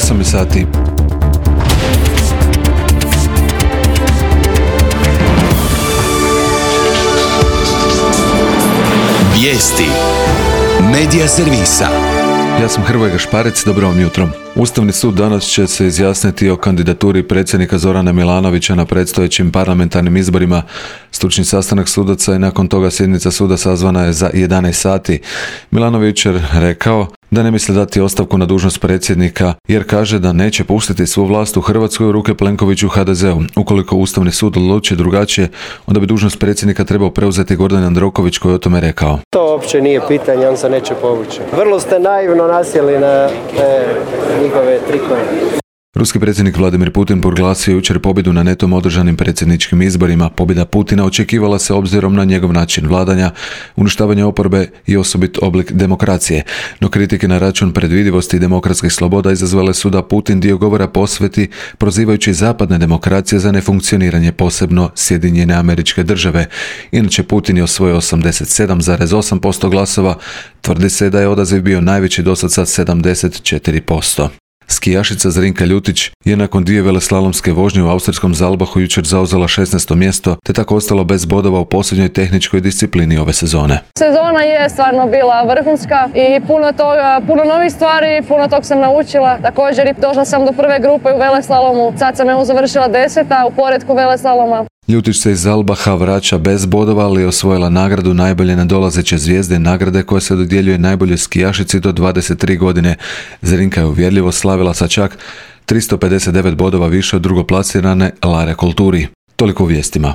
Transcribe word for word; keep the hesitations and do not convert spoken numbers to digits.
osam je sati. Vijesti Medija servisa. Ja sam Hrvoje Gašparec, dobro vam jutro. Ustavni sud danas će se izjasniti o kandidaturi predsjednika Zorana Milanovića na predstojećim parlamentarnim izborima. Stručni sastanak sudaca i nakon toga sjednica suda sazvana je za jedanaest sati. Milanović je rekao da ne misli dati ostavku na dužnost predsjednika jer kaže da neće pustiti svu vlast u Hrvatskoj u ruke Plenkoviću ha de zeu. Ukoliko Ustavni sud odluči drugačije, onda bi dužnost predsjednika trebao preuzeti Gordan Jandroković koji je o tome rekao. To uopće nije pitanje, on se neće povući. Vrlo ste naivno nasjeli na te njihove trikove. Ruski predsjednik Vladimir Putin proglasio jučer pobjedu na netom održanim predsjedničkim izborima. Pobjeda Putina očekivala se obzirom na njegov način vladanja, uništavanje oporbe i osobit oblik demokracije. No kritike na račun predvidivosti i demokratskih sloboda izazvale su da Putin dio govora posveti prozivajući zapadne demokracije za nefunkcioniranje, posebno Sjedinjene Američke Države. Inače Putin je osvojio osamdeset sedam zarez osam posto glasova, tvrdi se da je odaziv bio najveći dosad sa sedamdeset četiri posto. Skijašica Zrinka Ljutić je nakon dvije veleslalomske vožnje u austrijskom Zalbahu jučer zauzela šesnaesto mjesto, te tako ostalo bez bodova u posljednjoj tehničkoj disciplini ove sezone. Sezona je stvarno bila vrhunska i puno toga, puno novih stvari, puno tog sam naučila. Također i došla sam do prve grupe u veleslalomu, sad sam evo završila deseta u poretku veleslaloma. Ljutić se iz Zalbaha vraća bez bodova, ali je osvojila nagradu najbolje nadolazeće zvijezde, nagrade koja se dodjeljuje najboljoj skijašici do dvadeset tri godine. Zrinka je uvjerljivo slavila sa čak tristo pedeset devet bodova više od drugoplasirane Lare Kolturi. Toliko u vijestima.